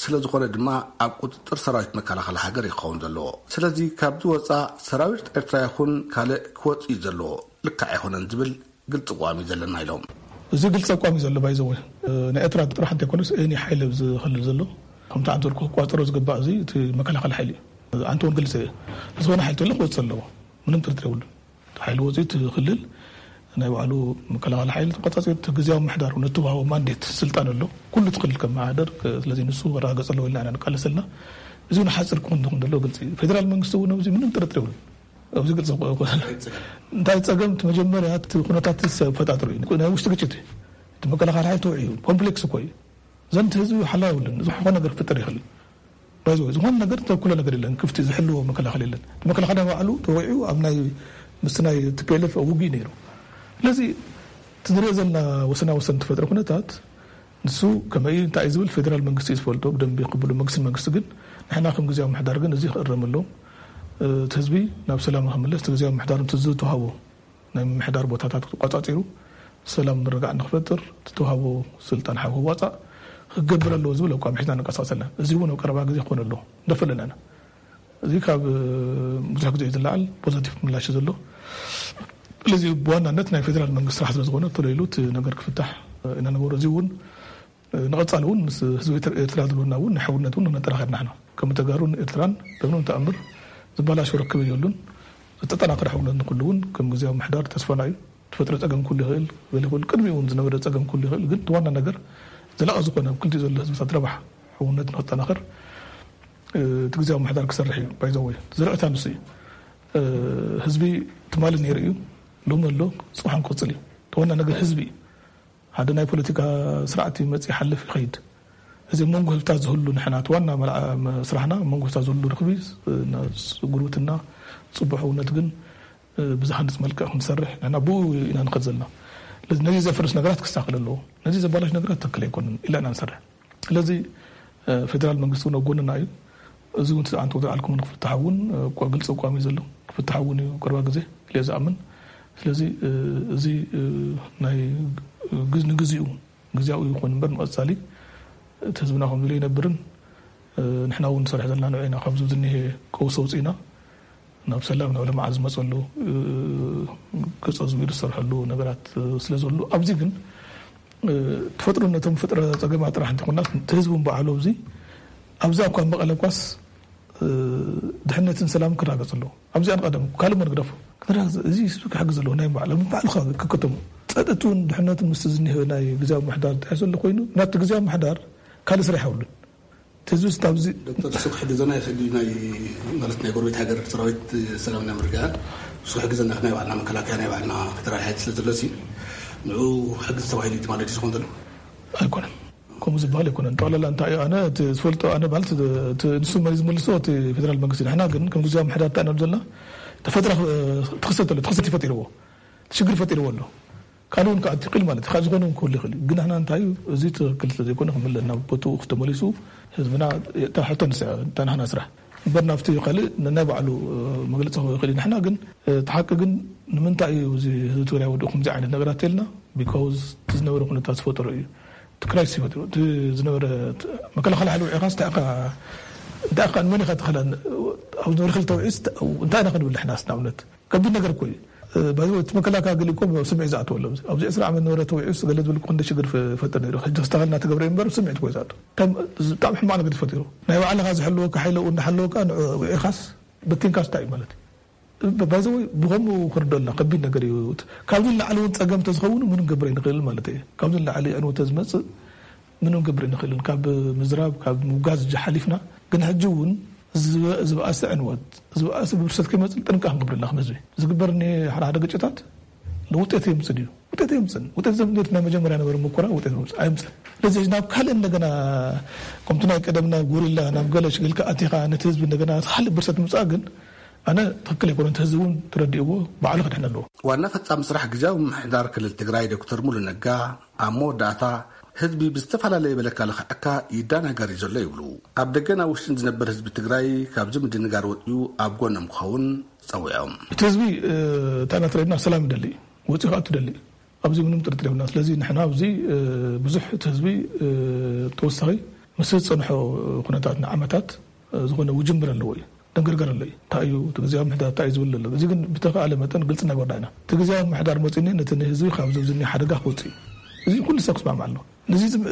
ስለ ዝኾነ ድማ ኣብ ቁፅጥር ሰራዊት መከላኸሊ ሃገር ይኸውን ዘለዎ። ስለዚ ካብዚ ወፃእ ሰራዊት ኤርትራ ይኹን ካልእ ክወፅእ እዩ ዘለዎ። ልክዕ ኣይኾነን ዝብል ግልፂ ኣቋም እዩ ዘለና ኢሎም። እዚ ግልፂ ኣቋም እዩ ዘሎ። ባይዘወ ናይ ኤርትራ ጥራሕ እንተይኮነስ ኤኒ ሓይሊ ኣብዚ ክልል ዘሎ ከምቲ ኣንተ ልኩ ክቋፀሮ ዝግባእ እዚ እቲ መከላኸሊ ሓይሊ እዩ። ኣንተ እውን ግልፂ እዩ። ዝኾነ ሓይሊ ተሎ ክወፅእ ኣለዎ። ምንም ጥርጥር የብሉን። እቲ ሓይሊ ወፂኡ እቲ ክልል ናይ ባዕሉ መከላኸሊ ሓይሊ ተቆፃፂሩ እቲ ግዝያዊ ምሕዳር እውን እተዋህቦ ማንዴት ስልጣን ኣሎ። ኩሉ እቲ ክልል ከመሓደር፣ ስለዚ ንሱ ክረጋገፅ ኣለዎ ኢልና ኢና ንቃለስ ዘለና። እዚ እውን ሓፂር ክኾን ዝኹን ዘሎ ግልፂ እዩ። ፌደራል መንግስቲ እውን ኣብዚ ምንም ጥርጥር የብሉን። ኣብዚ ግልፂ ክኾ-፣ እንታይ ፀገም እቲ መጀመርያ እቲ ኩነታት ፈጣጥሩ እዩ። ናይ ውሽጢ ግጭት እዩ። እቲ መከላኸሊ ሓይሊ ተውዒዩ ኮምፕሌክስ እኮ እዩ። ዘንቲ ህዝቢ ሓላ የብሉን። ዝኾነ ነገር ክፍጠር ይኽእል እዩ። ባይዘወይ ዝኾነ ነገር ተኩለ ነገር የለን። ክፍቲ ዝሕልዎ መከላኸሊ የለን። እቲ መከላኸሊ ባዕሉ ተወዒኡ ኣብ ናይ ምስ ናይ ቲፒኤልኤፍ ውግእ ነይሩ። ስለዚ እቲ ንሪኦ ዘለና ወሰና ወሰን ተፈጥሮ ኩነታት ንሱ ከመይ እንታይ እዩ ዝብል ፌደራል መንግስቲ እዩ ዝፈልጦ ብደንቢ ክብሉ መንግስቲ መንግስቲ ግን ንሕና ከም ግዜያዊ ምሕዳር ግን እዚ ክእረመሎም፣ እቲ ህዝቢ ናብ ሰላም ክምለስ እቲ ግዜያዊ ምሕዳር እቲ ዝተዋህቦ ናይ ምምሕዳር ቦታታት ክቋጻጺሩ ሰላም ምርጋዕ ንክፈጥር ዝተዋህቦ ስልጣን ሓው ክዋጻእ ክገብር ኣለዎ ዝብል ኣቋም ሒዝና ንንቀሳቀስ ኣለና። እዚ እውን ኣብ ቀረባ ግዜ ክኾን ኣለዎ። ንደፍእ ኣለና ኢና። እዚ ካብ፣ እ፣ ብዙሕ ግዜ እዩ ዝለዓል ፖዘቲቭ ምላሽ እዩ ዘሎ። ስለዚ ብዋናነት ናይ ፌደራል መንግስቲ ስራሕ ስለ ዝኾነ ተለይሉ እቲ ነገር ክፍታሕ፣ እ፣ ኢና ንገብሮ። እዚ እውን ንቐጻሊ እውን ምስ ህዝቢ ኤርትራ፣ ኤርትራ ዘለና እውን ናይ ሕውነት እውን ነጠናኸር ንሕና። ከም ተጋሩን ኤርትራን በምንም ተኣምር ዝበላሾ ርክብ የብሉን። ዝተጠናኸረ ሕውነት ንኩሉ እውን ከም ግዜያዊ ምሕዳር ተስፋና እዩ። ተፈጥሮ ጸገም ኩሉ ይኽእል፣ ገለ ይኹን ቅድሚ እውን ዝነበረ ጸገም ኩሉ ይኽእል። ግን እቲ ዋና ነገር ዘላቒ ዝኾነ ኣብ ክልቲኡ ዘሎ ህዝብታት ረብሓ ሕውነት ንኽጠናኸር፣ እ፣ እቲ ግዜያዊ ምሕዳር ክሰርሕ እዩ። ባይዘወይ ዝርዕታ ንሱ እዩ። እ፣ ህዝቢ ትማሊ ነይሩ እዩ፣ ሎሚ ኣሎ፣ ጽባሕ ክቕጽል እዩ። እቲ ዋና ነገር ህዝቢ እዩ። ሓደ ናይ ፖለቲካ ስርዓት ይመጽእ ይሓልፍ ይኸይድ። እዚ ኣብ መንጎ ህዝብታት ዝህሉ ንሕና እቲ ዋና መልዓ-፣ መ-፣ ስራሕና ኣብ መንጎ ህዝብታት ዝህሉ ርክቢ፣ እ፣ ና-፣ ስ-፣ ጉርብትና፣ ጽቡሕ እውነት ግን፣ እ፣ ብዝሃንጽ መልክዕ ክንሰርሕ ንሕና ብኡ ኢና ንኸድ ዘለና። ስለዚ ነዚ ዘፍርስ ነገራት ክስተኻኸል ኣለዎ። ነዚ ዘባላሽ ነገራት ትክክል ኣይኮነን ኢልና ኢና ንሰርሕ። ስለዚ፣ እ፣ ፌደራል መንግስቲ እውን ኣብ ጎንና እዩ። እዚ እውን እቲ ኣንተ ወደ ኣልኩም ክፍታሕ እውን፣ እ፣ እኳ ግልፂ ኣቋም እዩ ዘሎ። ክፍታሕ እውን እዩ ቅርባ ግዜ ኢለ ዝኣምን። ስለዚ፣ እ፣ እዚ፣ እ፣ ናይ ግዝ-፣ ንግዚኡ፣ ግዝያዊ ይኹን እምበር ንቐጻሊ እቲ ህዝብና ከምዚ ኢሉ ኣይነብርን። እ፣ ንሕና እውን ንሰርሕ ዘለና ንዑ ኢና። ካብዚ ዝኒሄ ቀውሲ ኣውፂእና ናብ ሰላም ናብ ልምዓት ዝመፀሉ፣ እ፣ ገፀ ዝቢሩ ዝሰርሐሉ ነገራት፣ እ፣ ስለ ዘሎ ኣብዚ ግን፣ እ፣ ተፈጥሮ ነቶም ፍጥረ ፀገማት ጥራሕ እንተኾናስ እቲ ህዝቢ እውን ባዕሉ ኣብዚ፣ ኣብዚ እኳ መቐለ እኳስ ድሕነትን ሰላም ክረጋገጽ ኣለዎ። ኣብዚኣ ንቐደም ካልእ መርግደፉ ክረጋገጽ፣ እዚ ህዝቢ ክሕግዝ ኣለዎ። ናይ ባዕሉ ባዕሉ ክከተሙ ጸጥቱን ድሕነቱን ምስ ዝኒሀ ናይ ግዜ ምሕዳር ተያይዘሉ ኮይኑ ናቲ ግዜ ምሕዳር ካልእ ስራሕ የብሉን። ተዝስ ኣብዚ ዶክተር፣ እሱ ክሕግዘና ይኽእል እዩ። ናይ ማለት ናይ ጎረቤት ሃገር ሰራዊት ሰላምና ምርግጋእ እሱ ክሕግዘና፣ ናይ ባዕልና መከላከያ፣ ናይ ባዕልና ፌደራል ሓይሊ ስለ ዘሎ ሲ ንዑ ክሕግዝ ተባሂሉ እዩ ማለት እዩ ዝኸውን ዘሎ። ኣይኮነን። ከምኡ ዝበሃል ኣይኮነን። ጠቕላላ እንታይ እዩ፣ ኣነ እቲ ዝፈልጦ፣ ኣነ ማለት እቲ ንሱ መሪ ዝመልሶ እቲ ፌደራል መንግስቲ። ንሕና ግን ከም ግዜያዊ ምሕዳር እንታይ ኢና ዘለና፣ ተፈጥራ ትኽሰት ኣሎ፣ ትኽሰት ይፈጢርዎ፣ ሽግር ፈጢርዎ ኣሎ። ካልእ እውን ክኣቲ ይኽእል ማለት እዩ። ካብ ዝኾነ እውን ክህሉ ይኽእል እዩ። ግን ንሕና እንታይ እዩ፣ እዚ ትኽክል ስለ ዘይኮነ ክምለ ናብ ቦትኡ ተመሊሱ ህዝብና ሕቶ ንስዐ፣ እንታይ ንሕና ስራሕ እምበር ናብቲ ካልእ ናይ ባዕሉ መግለፂ ክህብ ይኽእል እዩ። ንሕና ግን እቲ ሓቂ ግን ንምንታይ እዩ እዚ ህዝቢ ትግራይ ወዲኡ ከምዚ ዓይነት ነገራት ተልና? ቢካውዝ እቲ ዝነበረ ኩነታት ዝፈጠሮ እዩ። እቲ ክራይሲስ ይፈጥሮ። እቲ ዝነበረ መከላኸሊ ሓይሊ ውዒኻስ እንታይ ኢኻ፣ እንታይ ኢኻ፣ ንመን ኢኻ ትኸላን? ኣብ ዝነበረ ክልተ ውዒስ እንታይ ኢና ክንብል ንሕናስ ንኣብነት? ከቢድ ነገር እኮ እዩ። ባይዘ እቲ መከላከያ ገሊእኮ ስምዒት ዝኣተወሎም ኣብዚ ዕስራ ዓመት ነበረ ተውዒስ ገለ ዝብል እኮ እንደ ሽግር ፈጠር ነይሩ። ሕጂ ክስተኻል እናተገብረ እምበር ስምዒት እኮ እዩ ዝኣተው። ብጣዕሚ ሕማቕ ነገር ተፈጢሩ። ናይ ባዕልኻ ዝሕልወካ ሓይለ እንዳሓለወካ ንዑ ውዒኻስ በቲንካስ እንታይ እዩ ማለት እዩ? ባይዘ ወይ ብኸምኡ ክርደልና ከቢድ ነገር እዩ። ካብዚ ንላዕሊ እውን ፀገም ተዝኸውን ምንም ገብረ ይንኽእል ማለት እዩ። ካብዚ ንላዕሊ ዕንወተ ዝመፅእ ምንም ገብር ንኽእልን ካብ ምዝራብ ካብ ምውጋዝ እጂ ሓሊፍና ግን ሕጂ እውን ዝበ- ዝበኣሰ ዕንወት ዝበኣሰ ብብርሰት ከይመፅእ ጥንቃ ክንገብረልና ከም ህዝቢ ዝግበር እኒ ሓደ ሓደ ግጭታት ንውጤት የምፅእ ድዩ? ውጤት የምፅን። ውጤት ዘምፅእ ናይ መጀመርያ ነበረ ሙከራ ውጤት የምፅእ ኣይምፅን። ስለዚ ናብ ካልእ እንደገና ከምቲ ናይ ቀደም ናብ ጎሪላ ናብ ገለ ሽግልካ ኣቲኻ ነቲ ህዝቢ እንደገና ካልእ ብርሰት ምፃእ ግን ኣነ ትክክል ኣይኮነ እቲ ህዝቢ እውን ተረዲእዎ ባዕሉ ክድሕነ ኣለዎ። ዋና ፈፃሚ ስራሕ ግዝያዊ ምምሕዳር ክልል ትግራይ ዶክተር ሙሉ ነጋ ኣብ መወዳእታ ህዝቢ ብዝተፈላለየ መለካ ልኽዐካ ይዳናገር እዩ ዘሎ ይብሉ። ኣብ ደገን ኣብ ውሽጥን ዝነበር ህዝቢ ትግራይ ካብዚ ምድንጋር ወፂኡ ኣብ ጎኖም ክኸውን ፀዊዖም። እቲ ህዝቢ እንታይ እናተረድና ሰላም ይደሊ እዩ ወፂኡ ከዓ ትደሊ ኣብዚ ምንም ጥርጥር የብልና። ስለዚ ንሕና ኣብዚ ብዙሕ እቲ ህዝቢ ተወሳኺ ምስ ዝፀንሖ ኩነታት ንዓመታት ዝኾነ ውጅንብር ኣለዎ እዩ። ደንገርገር ኣሎ እዩ እንታይ እዩ እቲ ግዜ ምሕዳር እንታይ እዩ ዝብል ኣሎ። እዚ ግን ብተኸኣለ መጠን ግልፂ እናገበርና ኢና። እቲ ግዜ ምሕዳር መፂኒ ነቲ ንህዝቢ ካብ ዝብዝኒ ሓደጋ ክወፅእ እዩ። እዚ ኩሉ ሰብ ክስማማዕ ኣለዎ።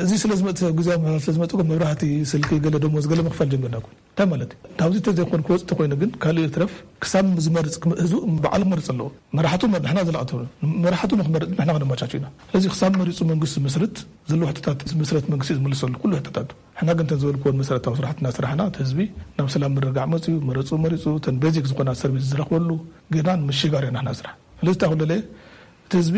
እዚ ስለ ዝመፅእ ሰብ ግዜ ምሕዳር ስለ ዝመፅእ መብራህቲ ስልኪ ገለ ደሞዝ ገለ ምኽፋል ጀሚርና እኮ እንታይ ማለት እዩ? ካብዚ ተዘይኮን ክወፅእ ተኮይኑ ግን ካልእ ይትረፍ ክሳብ ዝመርፅ ህዝቡ ባዕሉ ክመርፅ ኣለዎ። መራሕቱ ንሕና ዘለኣተሉ መራሕቱ ንክመርፅ ንሕና ክነመቻቹ ኢና። ስለዚ ክሳብ መሪፁ መንግስቲ ዝምስርት ዘለዎ ሕቶታት ዝምስረት መንግስቲ ዝምልሰሉ ኩሉ ሕቶታት ንሕና ግን እተን ዝበልክወን መሰረታዊ ስራሕቲ እናሰራሕና እቲ ህዝቢ ናብ ሰላም ምርግጋዕ መፅኡ መረፅኡ መሪፁ እተን ቤዚክ ዝኾና ሰርቪስ ዝረኽበሉ ጌና ንምሽጋር ኢና ንሕና ስራሕ። ስለዚ እንታይ ክለለ እቲ ህዝቢ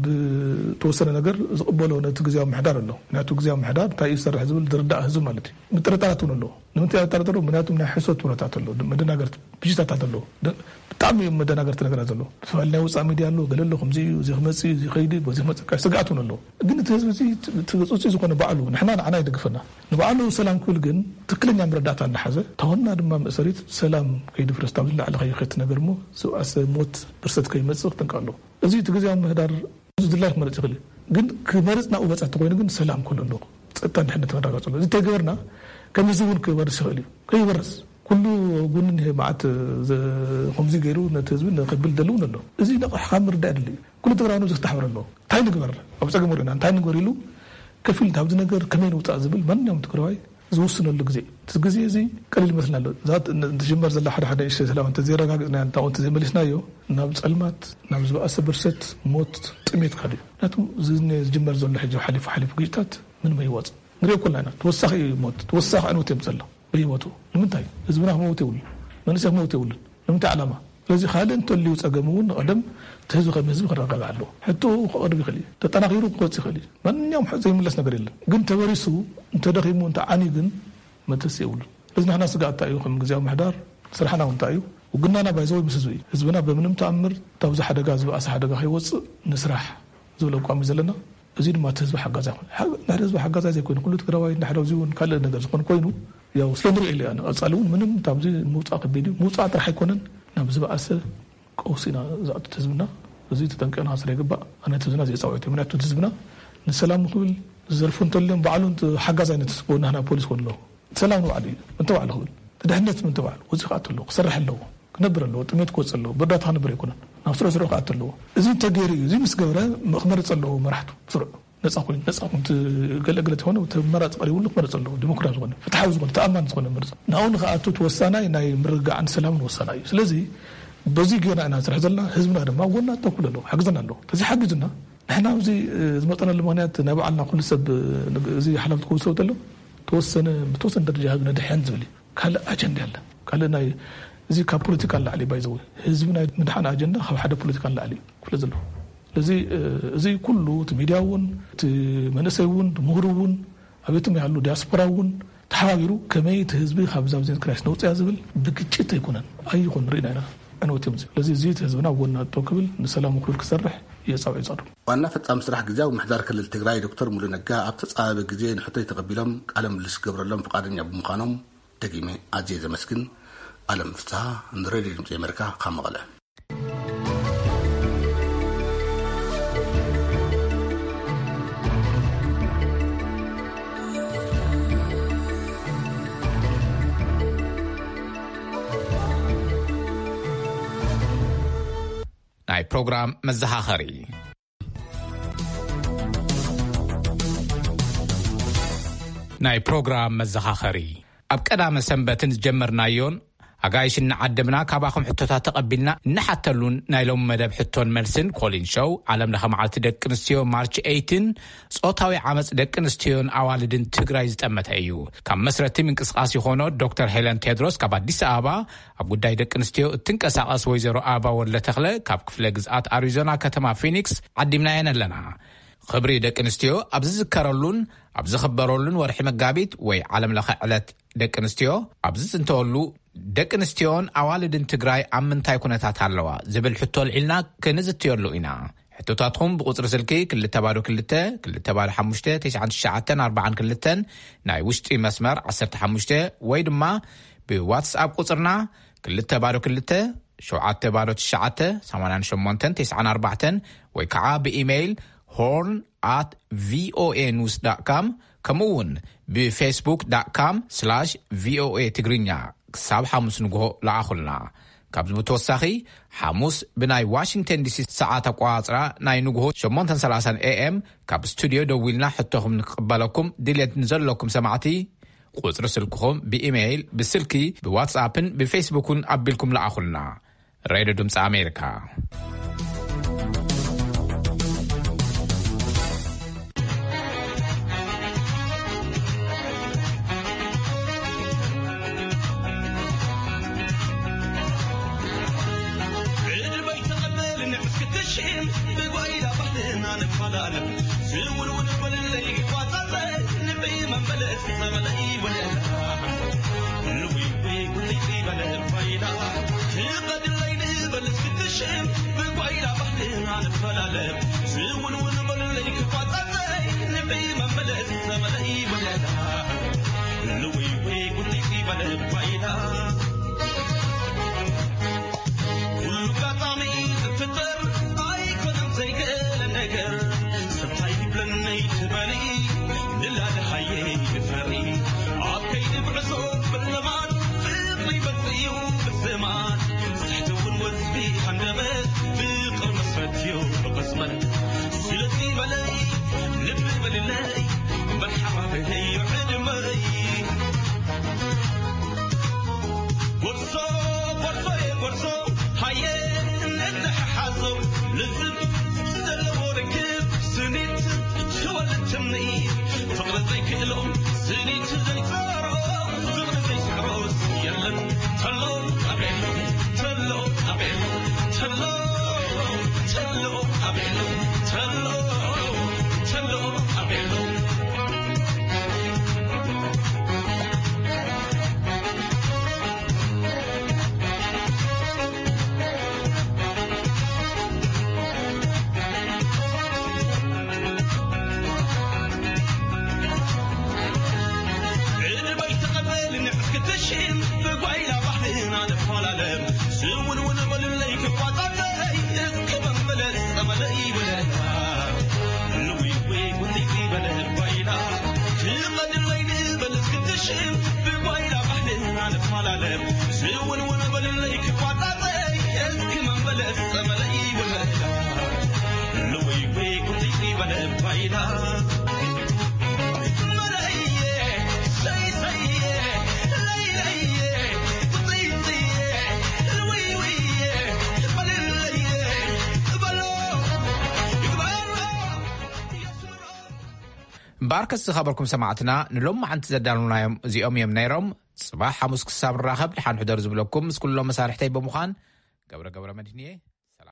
ብተወሰነ ነገር ዝቕበሎ ነቲ ግዜያዊ ምሕዳር ኣሎ። ምክንያቱ ግዜያዊ ምሕዳር እንታይ እዩ ዝሰርሕ ዝብል ዝርዳእ ህዝቢ ማለት እዩ። ምጥርጣራት እውን ኣለዎ። ንምንታይ ኣጠራጠሩ? ምክንያቱ ናይ ሕሶት ወረታት ኣሎ፣ መደናገርቲ ብሽታታት ኣሎ። ብጣዕሚ እዮም መደናገርቲ ነገራት ዘሎ። ዝተፈላለዩ ናይ ውፃእ ሚድያ ኣሎ፣ ገለ ኣሎ ከምዚ እዩ፣ እዚ ክመፅእ እዩ፣ እዚ ከይድ እዩ፣ በዚ ክመፅእ ካሽ ስግኣት እውን ኣለዎ። ግን እቲ ህዝቢ እዚ ትፅፅይ ዝኾነ ባዕሉ ንሕና ንዓና ይደግፈና ንባዕሉ ሰላም ክብል ግን ትክክለኛ መረዳእታ እንዳሓዘ ተወና ድማ መእሰሪት ሰላም ከይድፍረስ ታብ ዝላዕሊ ከይኸት ነገር እሞ ዝብኣሰ ሞት ብርሰት ከይመፅእ ክጥንቀ ኣለዎ። እዚ እቲ ግዜያዊ ምህዳር ዝድላይ ክመርፅ ይኽእል እዩ። ግን ክመርፅ ናብኡ በፃ ተኮይኑ ግን ሰላም ክህሉ ኣለዎ። ፀጥታ ድሕነት ክረጋገፅ ኣለዎ። እዚ ተገበርና ከም ህዝቢ እውን ክበርስ ይኽእል እዩ። ከይበርስ ኩሉ ጎኒ እኒሀ መዓት ዘ- ከምዚ ገይሩ ነቲ ህዝቢ ንክብል ደሊ እውን ኣሎ። እዚ ነቕሕ ካብ ምርዳእ የድሊ እዩ። ኩሉ ትግራይ ነዚ ክተሓብር ኣለዎ። እንታይ ንግበር ኣብ ፀገም ወሪና እንታይ ንግበር ኢሉ ከፊል ኣብዚ ነገር ከመይ ንውፃእ ዝብል ማንኛውም ትግራዋይ ዝውስነሉ ግዜ እዩ። እቲ ግዜ እዚ ቀሊል ይመስልና ኣሎ። እዛ ት- ን- ትጅመር ዘላ ሓደ ሓደ ንእሽተይ ሰላም እንተዘይረጋግፅና እንታው እንተዘይመሊስናዮ ናብ ፀልማት ናብ ዝበኣሰ ብርሰት ሞት ጥሜት ካድ እዩ። ምክንያቱም እዚ ዝጅመር ዘሎ ሕጂ ሓሊፉ ሓሊፉ ግጭታት ምንም ኣይዋፅእ ንሪኦ ኮልና ኢና። ተወሳኺ ሞት ተወሳኺ ዕንወት እዮም ዘሎ በየቦቱ ንምንታይ ህዝብና ክመውት የብሉን መንእሰይ ክመውት የብሉን ንምንታይ ዓላማ ስለዚ ካልእ እንተልዩ ፀገም እውን ንቐደም እቲ ህዝቢ ከም ህዝቢ ክረጋጋዕ ኣለዎ ሕቶ ክቐርብ ይኽእል እዩ ተጠናኺሩ ክወፅ ይኽእል እዩ ማንኛውም ዘይምለስ ነገር የለን ግን ተበሪሱ እንተደኺሙ እንተዓንዩ ግን መተስ የብሉን እዚ ናህና ስጋኣት እንታይ እዩ ከም ግዜያዊ ምሕዳር ስራሕና እውን እንታይ እዩ ውግናና ባይዘወይ ምስ ህዝቢ እዩ ህዝብና በምንም ተኣምር ታብዚ ሓደጋ ዝበኣሰ ሓደጋ ከይወፅእ ንስራሕ ዝብል ኣቋም እዩ ዘለና እዚ ድማ እቲ ህዝቢ ሓጋዛይ ኮይኑ ንሕደ ህዝቢ ሓጋዛይ ዘይኮይኑ ኩሉ ትግራዋይ ንሕደ እዚ እውን ካልእ ነገር ዝኾን ኮይኑ ያው ስለ ንሪኦ ኢለ ኣነ ቀፃሊ እውን ምንም ታብዚ ምውፃእ ከቢድ እዩ ምውፃእ ጥራሕ ኣይኮነን ናብ ዝበኣሰ ቀውሲ ኢና ዝኣቱ ህዝብና እዚ ተጠንቀና ስለ ይግባእ ኣነ ህዝብና ዘየፃውዕት እዩ ምክንያቱ ህዝብና ንሰላም ክብል ዝዘርፉ እንተልዮም ባዕሉ ሓጋዛይ ነቲ ጎናህና ፖሊስ ኮን ኣለዎ ሰላም ንባዕሉ እዩ እንተባዕሉ ክብል ድሕነት እንተባዕሉ ወፂ ክኣቱ ኣለዎ ክሰርሕ ኣለዎ ክነብር ኣለዎ ጥሜት ክወፅእ ኣለዎ ብእርዳታ ክነብር ኣይኮነን ናብ ስርሑ ስርሑ ክኣቱ ኣለዎ እዚ እንተገይሩ እዩ እዚ ምስ ገብረ ክመርፅ ኣለዎ መራሕቱ ስርዑ ነጻ ኮይኑ፣ ነጻ ኮይኑ፣ እቲ ገለ ገለ ተኾነ፣ እቲ መራጺ ቀሪቡሉ ክመርጽ ኣለዎ። ዲሞክራሲ ዝኾነ፣ ፍትሓዊ ዝኾነ፣ ተኣማኒ ዝኾነ ምርጫ። ናብኡ ንኽኣቱ እቲ ወሳናይ ናይ ምርግጋዕን ሰላምን ወሳናይ እዩ። ስለዚ በዚ ጌና ኢና ንሰርሕ ዘለና። ህዝብና ድማ ኣብ ጎና ጠው ክብል ኣለዎ፣ ሓግዘና ኣለዎ። ተዘይሓጊዙና ንሕና ኣብዚ፣ እ፣ ዝመጠናሉ ምኽንያት ናይ ባዕልና ኩሉ ሰብ፣ እ፣ እዚ ሓላፍነት ክውሰድ ተሎ ተወሰነ፣ ብተወሰነ ደረጃ ህዝቢ ነድሕን ዝብል እዩ። ካልእ ኣጀንዳ የለ። ካልእ ናይ፣ እዚ ካብ ፖለቲካ ንላዕሊ ባይዘው ህዝቢ ናይ ምድሓን ኣጀንዳ ካብ ሓደ ፖለቲካ ንላዕሊ እዩ ክፍለ ዘለዎ። ስለዚ፣ እ፣ እዚ ኩሉ እቲ ሚድያ እውን፣ እቲ መንእሰይ እውን፣ እቲ ምሁር እውን፣ ኣቤትም ያሉ ዲያስፖራ እውን ተሓባቢሩ ከመይ እቲ ህዝቢ ካብ ዛብዜን ክራይስ ነውፅያ ዝብል ብግጭት ኣይኮነን። ኣይኾን ርኢና ኢና። ዕንወት እዮም እዚኦም። ስለዚ እዚ እቲ ህዝብና ኣብ ጎና ጠው ክብል ንሰላሙ ክብል ክሰርሕ እየ ፃውዒ ጸዱ። ዋና ፈጻሚ ስራሕ ግዝያዊ ምሕዳር ክልል ትግራይ ዶክተር ሙሉ ነጋ ኣብ ተጻባቢ ግዜ ንሕቶይ ተቐቢሎም ቃለ ምልልስ ክገብረሎም ፍቓደኛ ብምዃኖም ደጊመ ኣዝየ ዘመስግን። ኣለም ፍስሃ፣ ንሬድዮ ድምጺ ኣሜሪካ ካብ መቐለ። ናይ ፕሮግራም መዘኻኸሪ። ናይ ፕሮግራም መዘኻኸሪ። ኣብ ቀዳመ ሰንበትን ዝጀመርናዮን ኣጋይሽ እናዓደምና ካባኹም ሕቶታት ተቐቢልና እንሓተሉን ናይ ሎም መደብ ሕቶን መልስን ኮሊን ሾው ዓለም ለኸ መዓልቲ ደቂ ኣንስትዮ ማርች ኤይትን ጾታዊ ዓመፅ ደቂ ኣንስትዮን ኣዋልድን ትግራይ ዝጠመተ እዩ። ካብ መስረቲ ምንቅስቃስ ዝኾኖ ዶክተር ሄለን ቴድሮስ ካብ ኣዲስ ኣበባ ኣብ ጉዳይ ደቂ ኣንስትዮ እትንቀሳቐስ ወይዘሮ ኣበባ ወልደ ተኽለ ካብ ክፍለ ግዝኣት ኣሪዞና ከተማ ፊኒክስ ዓዲምናየን ኣለና። ክብሪ ደቂ ኣንስትዮ ኣብ ዝዝከረሉን ኣብ ዝኽበረሉን ወርሒ መጋቢት ወይ ዓለም ለኸ ዕለት ደቂ ኣንስትዮ ኣብ ዝጽንተወሉ ደቂ ኣንስትዮን ኣዋልድን ትግራይ ኣብ ምንታይ ኩነታት ኣለዋ ዝብል ሕቶ ኣልዒልና ክንዝትየሉ ኢና። ሕቶታትኩም ብቁጽሪ ስልኪ ክልተ ባዶ ክልተ ክልተ ባዶ ሓሙሽተ ተስዓን ትሽዓተን ኣርባዓን ክልተን ናይ ውሽጢ መስመር ዓሰርተ ሓሙሽተ ወይ ድማ ብዋትስኣፕ ቁጽርና ክልተ ባዶ ክልተ ሸውዓተ ባዶ ትሽዓተ ሰማንያን ሸሞንተን ተስዓን ኣርባዕተን ወይ ከዓ ብኢሜይል ሆርን ኣት ቪኦኤ ኒውስ ዳት ካም ከምኡ እውን ብፌስቡክ ዳት ካም ስላሽ ቪኦኤ ትግርኛ ክሳብ ሓሙስ ንግሆ ለኣኹልና። ካብዚ ብተወሳኺ ሓሙስ ብናይ ዋሽንግተን ዲሲ ሰዓት ኣቋጽራ ናይ ንግሆ ሸሞንተን ሰላሳን ኤኤም ካብ ስቱድዮ ደዊልና ሕቶኹም ንክቕበለኩም ድልየት ንዘለኩም ሰማዕቲ ቁጽሪ ስልክኹም ብኢሜይል፣ ብስልኪ፣ ብዋትስኣፕን ብፌስቡክን ኣቢልኩም ለኣኹልና። ሬድዮ ድምፂ ኣሜሪካ። ዕድመይ ተቐበልን እስክትሽም ብጓይላ ባህልና ንፈላለ ዝውንውን በልለይ ጓዛለ ንበይ መመለስ ዘመለይ ወለላ ንዊዊ ጉልይ በለ ባይላ ትቐድለይ ንበል እስክትሽም ብጓይላ ባህልና ንፈላለ ዝውንውን በልለይ ክፋታተይ ንበይ መመለስ ዘመለይ ወለላ ንዊዊ ጉልይ በለ ባይላ ኩሉ ኣጋጣሚ ዝፍጠር ኣይኮነን ዘይክእል ነገር። ሰብ ታይ ይብለኒ ትበሊ ንላድሃየ ይፈሪ ኣብ ከይዲ ጉዕዞ ብለማድ ፍቕሪ ይበልፅ እዩ ብስማድ ስሕቲ እውን ወዝቢ ሃንደበት ፍቕሪ መስረት እዩ ብቕፅመት ስለዚ በለይ ልቢ በልለይ መርሓባ በለይ ዕድመይ ጎርዞ ጎርዞ ጎርዞ ሃየ እንተሓሓዞ ልዝብ ዘለዎ ርክብ ስኒት ትወልድ ትምኒት ፍቕሪ ዘይክእሎ ስኒት ዘይፀሮ ፍቕሪ ዘይስዕሮስ የለን ተሎ ኣቤሎ ተሎ ኣቤሎ ተሎ ተሎ ኣቤሎ ተሎ ተሎ ኣቤሎ እምበኣርከስ ዝኸበርኩም ሰማዕትና፣ ንሎማዓንቲ ዘዳለናዮም እዚኦም እዮም ነይሮም። ጽባሕ ሓሙስ ክሳብ ንራኸብ፣ ደሓን ሕደሩ ዝብለኩም ምስ ኩሎም መሳርሕተይ ብምዃን፣ ገብረ ገብረ መድህንየ።